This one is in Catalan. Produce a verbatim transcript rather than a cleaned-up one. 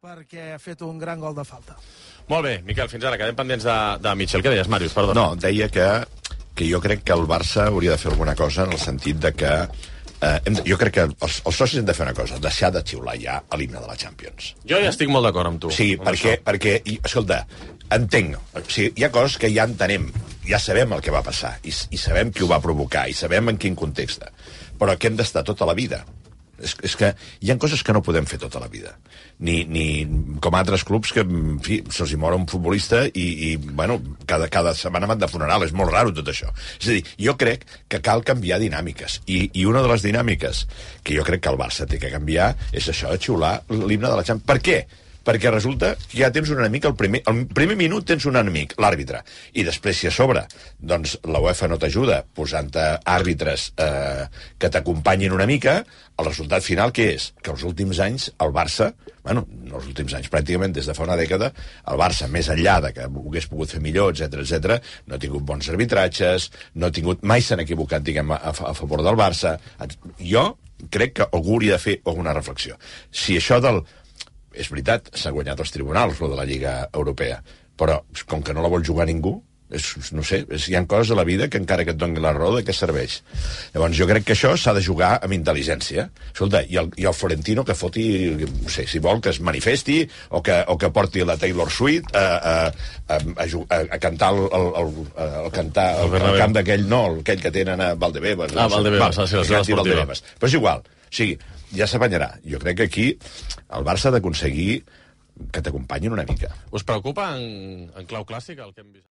perquè ha fet un gran gol de falta. Molt bé, Miquel, fins ara, quedem pendents de, de Mitchell. Què deies, Màrius? Perdona. No, deia que, que jo crec que el Barça hauria de fer alguna cosa en el sentit de que eh, hem de, jo crec que els, els socis han de fer una cosa, deixar de xiular ja a l'himne de la Champions. Jo ja estic molt d'acord amb tu. Sí, amb perquè, això. perquè, i, escolta, entenc, o sigui, hi ha coses que ja entenem, ja sabem el que va passar, i, i sabem qui ho va provocar, i sabem en quin context, però que hem d'estar tota la vida. És, és que hi ha coses que no podem fer tota la vida. Ni, ni com altres clubs que, en fi, se'ls hi mor un futbolista i, i bueno, cada, cada setmana van de funeral. És molt raro tot això. És a dir, jo crec que cal canviar dinàmiques. I, i una de les dinàmiques que jo crec que el Barça té que canviar és això de xiular l'himne de la Champions. Per què? Perquè resulta que ja tens un enemic, al primer, al primer minut tens un enemic, l'àrbitre, i després, si a sobre, doncs la UEFA no t'ajuda posant-te àrbitres eh, que t'acompanyin una mica, el resultat final què és? Que els últims anys el Barça, bueno, no els últims anys, pràcticament des de fa una dècada, el Barça, més enllà de que ho hagués pogut fer millor, etcètera, etcètera, no ha tingut bons arbitratges, no ha tingut, mai s'han equivocat, diguem, a, a favor del Barça. Jo crec que algú hauria de fer alguna reflexió. Si això del... És veritat, s'ha guanyat els tribunals, lo de la Lliga Europea, però com que no la vol jugar ningú, és, no sé, és, hi ha coses a la vida que encara que et doni la raó, de què serveix? Llavors jo crec que això s'ha de jugar amb intel·ligència. Escolta, i el, i el Florentino que foti, no sé, si vol que es manifesti o que, o que porti la Taylor Swift a, a, a, a, a cantar el, el, el, el, cantar, el, el camp d'aquell, no, aquell que tenen a Valdebebas. Ah, Valdebebas, sí, la zona esportiva. Però és igual, o sigui, ja s'apanyarà. Jo crec que aquí el Barça ha d'aconseguir que t'acompanyin una mica. Us preocupa en, en clau clàssica el que hem vist?